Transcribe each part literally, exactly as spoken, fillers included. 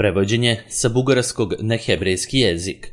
Prevođenje sa bugarskog na hebrejski jezik.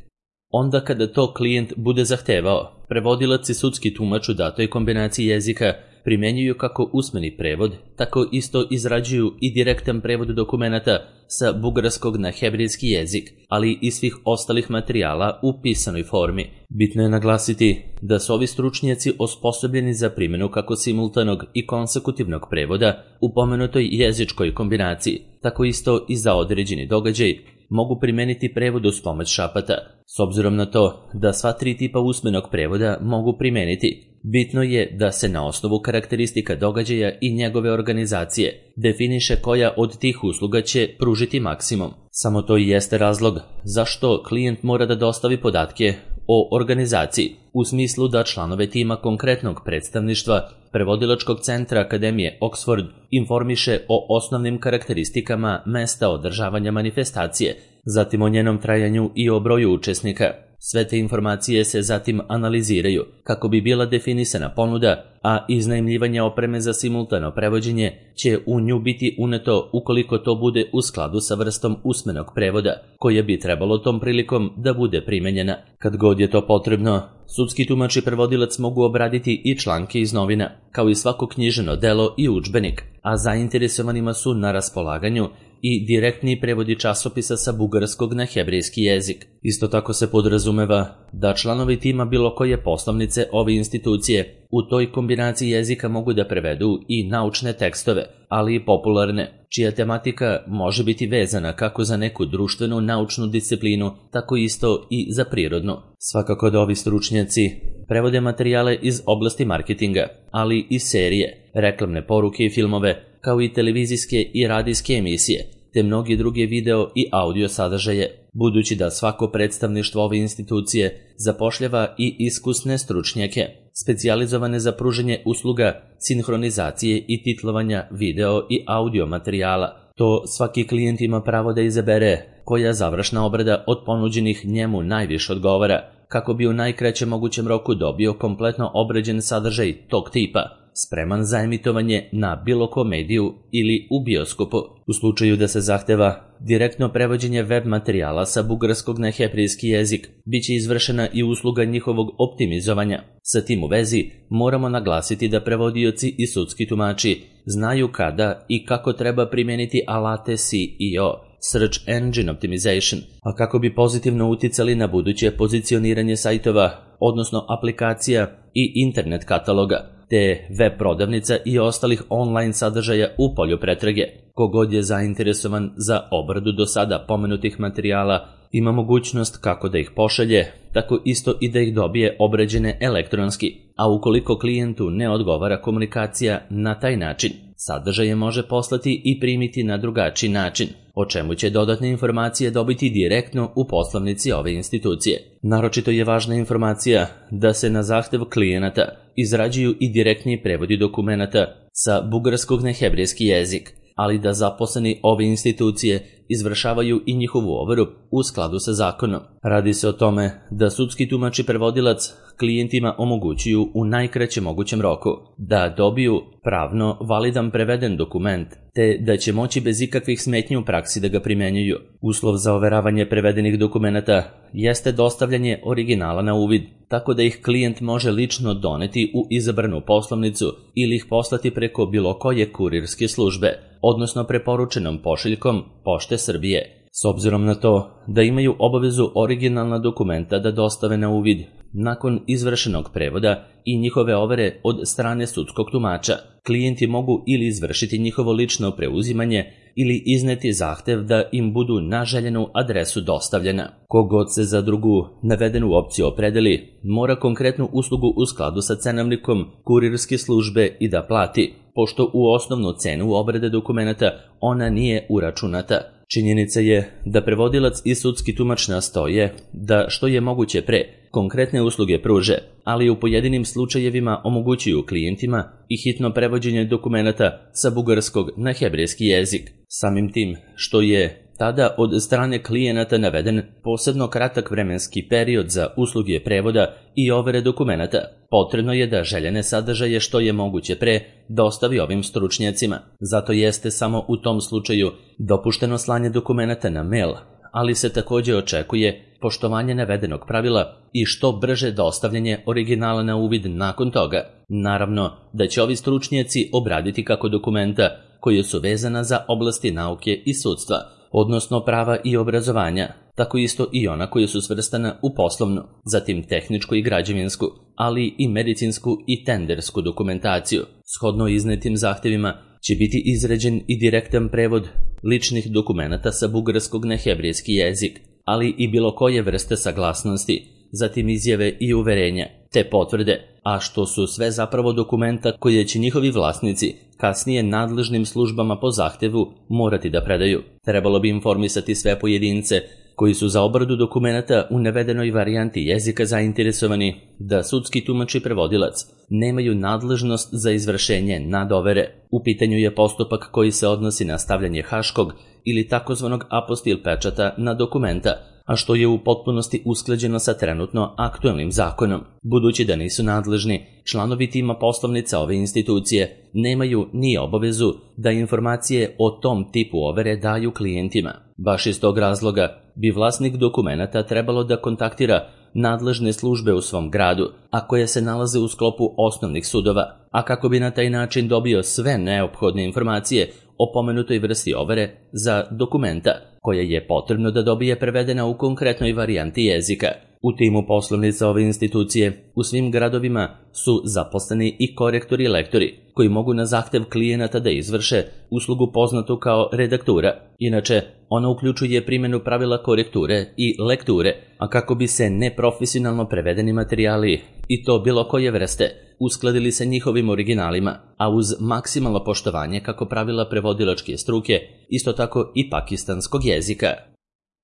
Onda kada to klijent bude zahtevao, prevodilac i sudski tumač u datoj kombinaciji jezika primjenjuju kako usmeni prevod, tako isto izrađuju i direktan prevod dokumenata sa bugarskog na hebrejski jezik, ali i svih ostalih materijala u pisanoj formi. Bitno je naglasiti da su ovi stručnjaci osposobljeni za primjenu kako simultanog i konsekutivnog prevoda u pomenutoj jezičkoj kombinaciji, tako isto i za određeni događaj mogu primeniti prevod uz pomoć šapata. S obzirom na to da sva tri tipa usmenog prevoda mogu primeniti, bitno je da se na osnovu karakteristika događaja i njegove organizacije definiše koja od tih usluga će pružiti maksimum. Samo to i jeste razlog zašto klijent mora da dostavi podatke o organizaciji, u smislu da članove tima konkretnog predstavništva Prevodilačkog centra Akademije Oxford informiše o osnovnim karakteristikama mesta održavanja manifestacije, zatim o njenom trajanju i o broju učesnika. Sve te informacije se zatim analiziraju kako bi bila definisana ponuda, a iznajmljivanje opreme za simultano prevođenje će u nju biti uneto ukoliko to bude u skladu sa vrstom usmenog prevoda, koja bi trebalo tom prilikom da bude primenjena. Kad god je to potrebno, sudski tumač i prevodilac mogu obraditi i članke iz novina, kao i svako knjiženo delo i udžbenik, a zainteresovanima su na raspolaganju i direktni prevodi časopisa sa bugarskog na hebrejski jezik. Isto tako se podrazumeva da članovi tima bilo koje poslovnice ove institucije u toj kombinaciji jezika mogu da prevedu i naučne tekstove, ali i popularne, čija tematika može biti vezana kako za neku društvenu naučnu disciplinu, tako isto i za prirodnu. Svakako da ovi stručnjaci prevode materijale iz oblasti marketinga, ali i serije, reklamne poruke i filmove, kao i televizijske i radijske emisije, te mnogi druge video i audio sadržaje, budući da svako predstavništvo ove institucije zapošljava i iskusne stručnjake, specijalizovane za pružanje usluga, sinhronizacije i titlovanja video i audio materijala. To svaki klijent ima pravo da izabere koja završna obrada od ponuđenih njemu najviše odgovara, kako bi u najkraćem mogućem roku dobio kompletno obrađen sadržaj tog tipa, spreman za emitovanje na bilo kom mediju ili u bioskopu. U slučaju da se zahteva direktno prevođenje web materijala sa bugarskog na hebrejski jezik, bit će izvršena i usluga njihovog optimizovanja. Sa tim u vezi moramo naglasiti da prevodioci i sudski tumači znaju kada i kako treba primijeniti alate S E O, Search Engine Optimization, a kako bi pozitivno uticali na buduće pozicioniranje sajtova, odnosno aplikacija i internet kataloga, te web prodavnica i ostalih online sadržaja u polju pretrage. Kogod je zainteresovan za obradu do sada pomenutih materijala ima mogućnost kako da ih pošalje, tako isto i da ih dobije obrađene elektronski, a ukoliko klijentu ne odgovara komunikacija na taj način, sadržaje može poslati i primiti na drugačiji način, o čemu će dodatne informacije dobiti direktno u poslovnici ove institucije. Naročito je važna informacija da se na zahtev klijenata izrađuju i direktni prevodi dokumenata sa bugarskog na hebrejski jezik, ali da zaposleni ove institucije izvršavaju i njihovu overu u skladu sa zakonom. Radi se o tome da sudski tumač i prevodilac klijentima omogućuju u najkraćem mogućem roku da dobiju pravno validan preveden dokument, te da će moći bez ikakvih smetnji u praksi da ga primenjuju. Uslov za overavanje prevedenih dokumenata jeste dostavljanje originala na uvid, tako da ih klijent može lično doneti u izabranu poslovnicu ili ih poslati preko bilo koje kurirske službe, odnosno preporučenom pošiljkom Pošte Srbije. S obzirom na to da imaju obavezu originalna dokumenta da dostave na uvid nakon izvršenog prevoda i njihove overe od strane sudskog tumača, klijenti mogu ili izvršiti njihovo lično preuzimanje ili izneti zahtev da im budu na željenu adresu dostavljena. Kogod se za drugu navedenu opciju opredeli, mora konkretnu uslugu u skladu sa cenovnikom kurirske službe i da plati, pošto u osnovnu cenu obrade dokumenata ona nije uračunata. Činjenica je da prevodilac i sudski tumač nastoje da što je moguće pre konkretne usluge pruže, ali u pojedinim slučajevima omogućuju klijentima i hitno prevođenje dokumenata sa bugarskog na hebrejski jezik. Samim tim što je tada od strane klijenata naveden posebno kratak vremenski period za usluge prevoda i overe dokumenata. Potrebno je da željene sadržaje što je moguće pre dostavi ovim stručnjacima. Zato jeste samo u tom slučaju dopušteno slanje dokumenata na mail, ali se također očekuje poštovanje navedenog pravila i što brže dostavljanje originala na uvid nakon toga. Naravno da će ovi stručnjaci obraditi kako dokumenta koje su vezana za oblasti nauke i sudstva, odnosno prava i obrazovanja, tako isto i ona koja su svrstana u poslovnu, zatim tehničku i građevinsku, ali i medicinsku i tendersku dokumentaciju. Shodno iznetim zahtjevima će biti izrađen i direktan prevod ličnih dokumenata sa bugarskog na hebrejski jezik, ali i bilo koje vrste saglasnosti, zatim izjave i uverenja, te potvrde, a što su sve zapravo dokumenta koje će njihovi vlasnici kasnije nadležnim službama po zahtjevu morati da predaju. Trebalo bi informisati sve pojedince koji su za obradu dokumenata u navedenoj varijanti jezika zainteresovani da sudski tumač i prevodilac nemaju nadležnost za izvršenje nadovere. U pitanju je postupak koji se odnosi na stavljanje haškog ili takozvanog apostil pečata na dokumenta, a što je u potpunosti usklađeno sa trenutno aktuelnim zakonom. Budući da nisu nadležni, članovi tima poslovnica ove institucije nemaju ni obavezu da informacije o tom tipu overe daju klijentima. Baš iz tog razloga bi vlasnik dokumenata trebalo da kontaktira nadležne službe u svom gradu, a koje se nalaze u sklopu osnovnih sudova, a kako bi na taj način dobio sve neophodne informacije o pomenutoj vrsti overe za dokumenta, koja je potrebno da dobije prevedena u konkretnoj varijanti jezika. U timu poslovnica ove institucije u svim gradovima su zaposleni i korektori i lektori, koji mogu na zahtev klijenata da izvrše uslugu poznatu kao redaktura. Inače, ona uključuje primjenu pravila korekture i lekture, a kako bi se neprofesionalno prevedeni materijali, i to bilo koje vrste, uskladili sa njihovim originalima, a uz maksimalno poštovanje kako pravila prevodilačke struke, isto tako i pakistanskog jezika.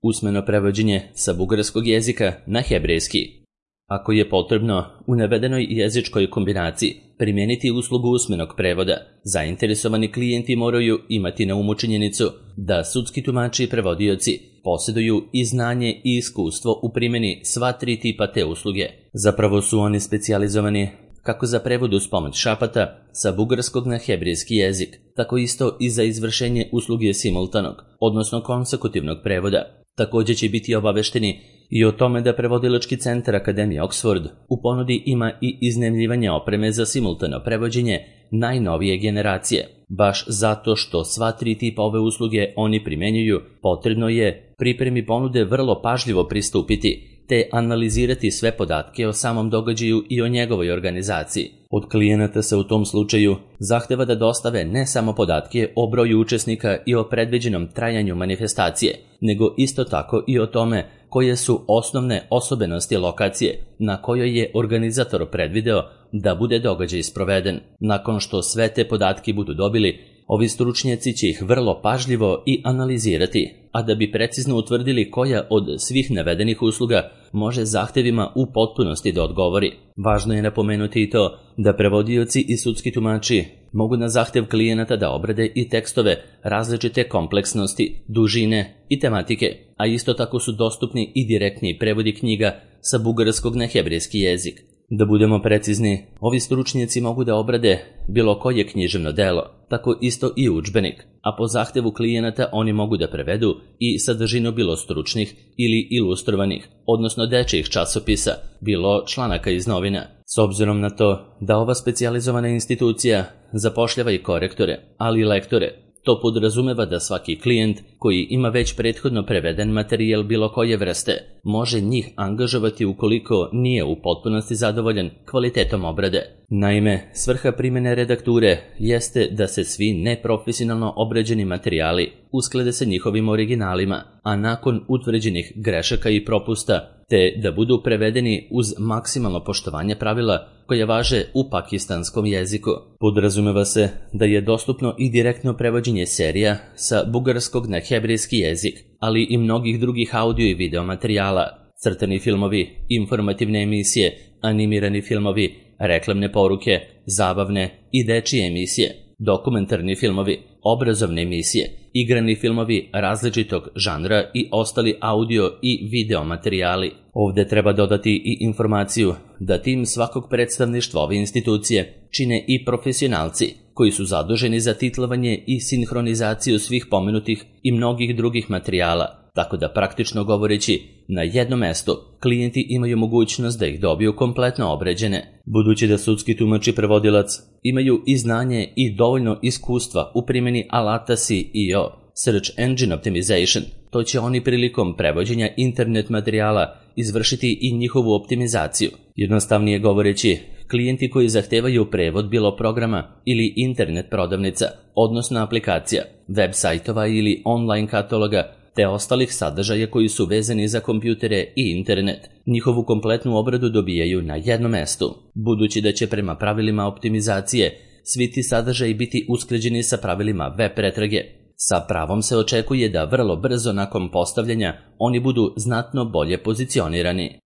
Usmeno prevođenje sa bugarskog jezika na hebrejski. Ako je potrebno u navedenoj jezičkoj kombinaciji primijeniti uslugu usmenog prevoda, zainteresovani klijenti moraju imati na umu činjenicu da sudski tumači i prevodioci posjeduju i znanje i iskustvo u primjeni sva tri tipa te usluge. Zapravo su oni specijalizovani kako za prevod uz pomoć šapata sa bugarskog na hebrejski jezik, tako isto i za izvršenje usluge simultanog, odnosno konsekutivnog prevoda. Također će biti obavešteni i o tome da prevodilački centar Akademije Oxford u ponudi ima i iznajmljivanje opreme za simultano prevođenje najnovije generacije. Baš zato što sva tri tipa ove usluge oni primjenjuju, potrebno je pripremi ponude vrlo pažljivo pristupiti, te analizirati sve podatke o samom događaju i o njegovoj organizaciji. Od klijenata se u tom slučaju zahteva da dostave ne samo podatke o broju učesnika i o predviđenom trajanju manifestacije, nego isto tako i o tome koje su osnovne osobenosti lokacije na kojoj je organizator predvideo da bude događaj sproveden. Nakon što sve te podatke budu dobili, ovi stručnjaci će ih vrlo pažljivo i analizirati, a da bi precizno utvrdili koja od svih navedenih usluga može zahtjevima u potpunosti da odgovori. Važno je napomenuti i to da prevodioci i sudski tumači mogu na zahtjev klijenata da obrade i tekstove različite kompleksnosti, dužine i tematike, a isto tako su dostupni i direktni prevodi knjiga sa bugarskog na hebrejski jezik. Da budemo precizni, ovi stručnjaci mogu da obrade bilo koje književno delo, tako isto i udžbenik, a po zahtjevu klijenata oni mogu da prevedu i sadržinu bilo stručnih ili ilustrovanih, odnosno dečjih časopisa, bilo članaka iz novina. S obzirom na to da ova specijalizovana institucija zapošljava i korektore, ali i lektore, to podrazumeva da svaki klijent koji ima već prethodno preveden materijal bilo koje vrste može njih angažovati ukoliko nije u potpunosti zadovoljan kvalitetom obrade. Naime, svrha primjene redakture jeste da se svi neprofesionalno obrađeni materijali usklade sa njihovim originalima, a nakon utvrđenih grešaka i propusta, te da budu prevedeni uz maksimalno poštovanje pravila koje važe u pakistanskom jeziku. Podrazumeva se da je dostupno i direktno prevođenje serija sa bugarskog na hebrejski jezik, ali i mnogih drugih audio i video materijala, crtani filmovi, informativne emisije, animirani filmovi, reklamne poruke, zabavne i dečije emisije, dokumentarni filmovi, obrazovne emisije, igrani filmovi različitog žanra i ostali audio i video materijali. Ovdje treba dodati i informaciju da tim svakog predstavništva ove institucije čine i profesionalci koji su zaduženi za titlovanje i sinhronizaciju svih pomenutih i mnogih drugih materijala, tako da praktično govoreći na jednom mestu klijenti imaju mogućnost da ih dobiju kompletno obrađene. Budući da sudski tumač i prevodilac imaju i znanje i dovoljno iskustva u primjeni alata S E O, Search Engine Optimization, to će oni prilikom prevođenja internet materijala izvršiti i njihovu optimizaciju. Jednostavnije govoreći, klijenti koji zahtevaju prevod bilo programa ili internet prodavnica, odnosno aplikacija, web sajtova ili online kataloga, te ostalih sadržaja koji su vezani za kompjutere i internet, njihovu kompletnu obradu dobijaju na jednom mestu. Budući da će prema pravilima optimizacije svi ti sadržaji biti usklađeni sa pravilima web pretrage, sa pravom se očekuje da vrlo brzo nakon postavljanja oni budu znatno bolje pozicionirani.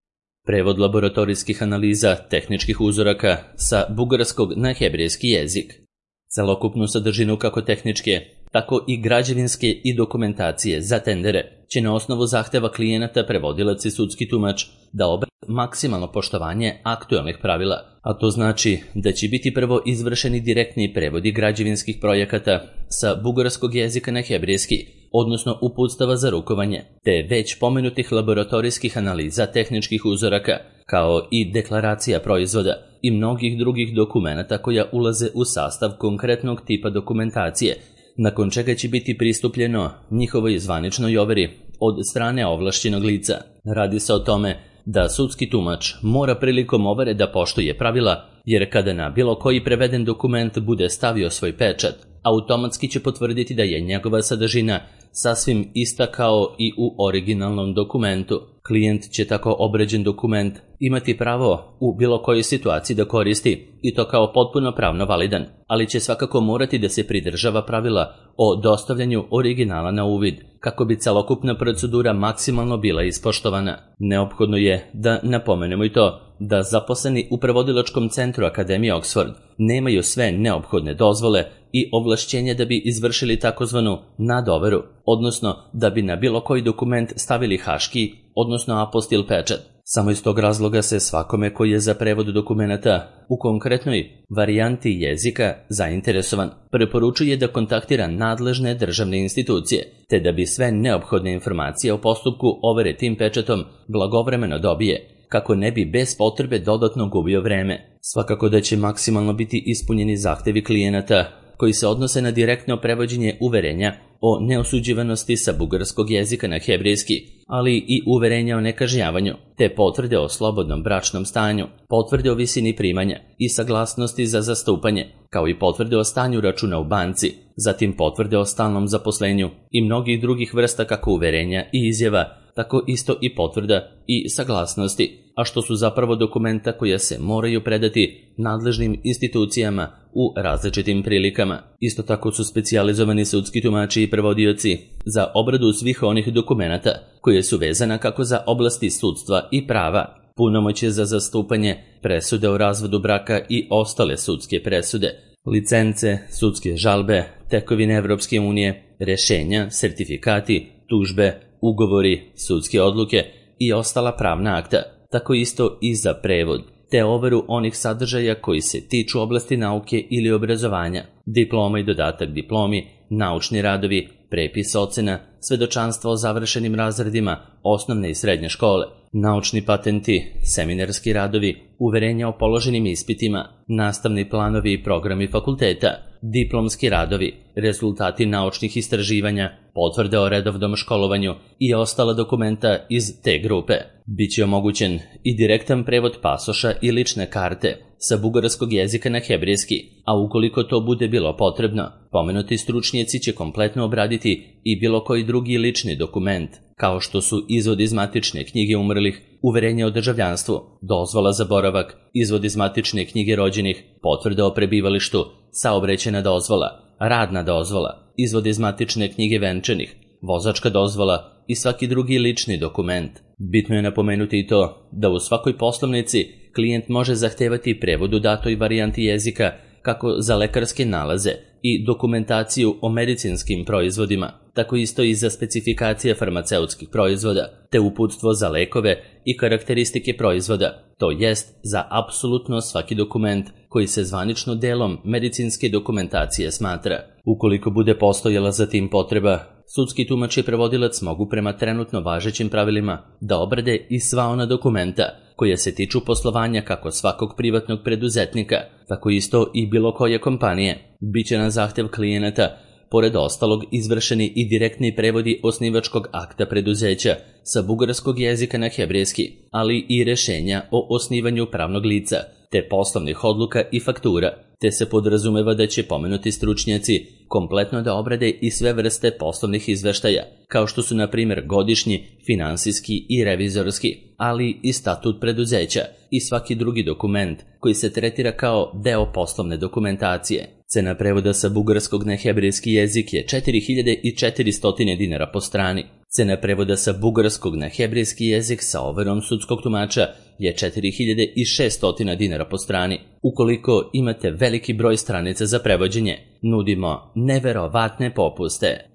Prevod laboratorijskih analiza tehničkih uzoraka sa bugarskog na hebrejski jezik. Celokupnu sadržinu kako tehničke, tako i građevinske i dokumentacije za tendere će na osnovu zahteva klijenata prevodilac i sudski tumač da obrade maksimalno poštovanje aktualnih pravila, a to znači da će biti prvo izvršeni direktni prevodi građevinskih projekata sa bugarskog jezika na hebrejski, odnosno uputstava za rukovanje, te već pomenutih laboratorijskih analiza tehničkih uzoraka, kao i deklaracija proizvoda i mnogih drugih dokumenata koja ulaze u sastav konkretnog tipa dokumentacije, nakon čega će biti pristupljeno njihovoj zvaničnoj overi od strane ovlašćenog lica. Radi se o tome da sudski tumač mora prilikom overe da poštuje pravila, jer kada na bilo koji preveden dokument bude stavio svoj pečat, automatski će potvrditi da je njegova sadržina sasvim ista kao i u originalnom dokumentu. Klijent će tako obrađen dokument imati pravo u bilo kojoj situaciji da koristi i to kao potpuno pravno validan, ali će svakako morati da se pridržava pravila o dostavljanju originala na uvid, kako bi celokupna procedura maksimalno bila ispoštovana. Neophodno je da napomenemo i to da zaposleni u prevodilačkom centru Akademije Oxford nemaju sve neophodne dozvole i ovlašćenja da bi izvršili takozvanu nadoveru, odnosno da bi na bilo koji dokument stavili haški, odnosno apostil pečat. Samo iz tog razloga se svakome koji je za prevod dokumenata u konkretnoj varijanti jezika zainteresovan preporučuje da kontaktira nadležne državne institucije, te da bi sve neophodne informacije o postupku overe tim pečatom blagovremeno dobije, kako ne bi bez potrebe dodatno gubio vreme. Svakako da će maksimalno biti ispunjeni zahtevi klijenata koji se odnose na direktno prevođenje uverenja o neosuđivanosti sa bugarskog jezika na hebrejski, ali i uverenja o nekažnjavanju, te potvrde o slobodnom bračnom stanju, potvrde o visini primanja i saglasnosti za zastupanje, kao i potvrde o stanju računa u banci, zatim potvrde o stalnom zaposlenju i mnogih drugih vrsta kako uverenja i izjava, tako isto i potvrda i saglasnosti, a što su zapravo dokumenta koja se moraju predati nadležnim institucijama u različitim prilikama. Isto tako su specijalizovani sudski tumači i prevodioci za obradu svih onih dokumenata koje su vezana kako za oblasti sudstva i prava, punomoćje za zastupanje, presude o razvodu braka i ostale sudske presude, licence, sudske žalbe, tekovine Evropske unije, rešenja, sertifikati, tužbe, ugovori, sudske odluke i ostala pravna akta, tako isto i za prevod, te overu onih sadržaja koji se tiču oblasti nauke ili obrazovanja, diploma i dodatak diplomi, naučni radovi, prepis ocena, svedočanstvo o završenim razredima osnovne i srednje škole, naučni patenti, seminarski radovi, uverenja o položenim ispitima, nastavni planovi i programi fakulteta, diplomski radovi, rezultati naučnih istraživanja, potvrde o redovnom školovanju i ostala dokumenta iz te grupe. Biće omogućen i direktan prevod pasoša i lične karte sa bugarskog jezika na hebrejski, a ukoliko to bude bilo potrebno, pomenuti stručnjaci će kompletno obraditi i bilo koji drugi lični dokument, kao što su izvod iz matične knjige umrlih, uverenje o državljanstvu, dozvola za boravak, izvod iz matične knjige rođenih, potvrda o prebivalištu, saobraćajna dozvola, radna dozvola, izvod iz matične knjige venčanih, vozačka dozvola i svaki drugi lični dokument. Bitno je napomenuti i to da u svakoj poslovnici klijent može zahtevati prevod u datoj varijanti jezika kako za lekarske nalaze, i dokumentaciju o medicinskim proizvodima, tako isto i za specifikacije farmaceutskih proizvoda, te uputstvo za lekove i karakteristike proizvoda, to jest za apsolutno svaki dokument koji se zvanično delom medicinske dokumentacije smatra. Ukoliko bude postojala za tim potreba, sudski tumač i prevodilac mogu prema trenutno važećim pravilima da obrade i sva ona dokumenta koja se tiču poslovanja kako svakog privatnog preduzetnika, tako isto i bilo koje kompanije. Biće na zahtev klijenata, pored ostalog, izvršeni i direktni prevodi osnivačkog akta preduzeća sa bugarskog jezika na hebrejski, ali i rešenja o osnivanju pravnog lica, te poslovnih odluka i faktura, te se podrazumeva da će pomenuti stručnjaci kompletno da obrade i sve vrste poslovnih izveštaja, kao što su na primjer godišnji, finansijski i revizorski, ali i statut preduzeća i svaki drugi dokument koji se tretira kao deo poslovne dokumentacije. Cena prevoda sa bugarskog na hebrejski jezik je četiri hiljade četiristo dinara po strani. Cena prevoda sa bugarskog na hebrejski jezik sa overom sudskog tumača je četiri hiljade šesto dinara po strani. Ukoliko imate veliki broj stranica za prevođenje, nudimo neverovatne popuste.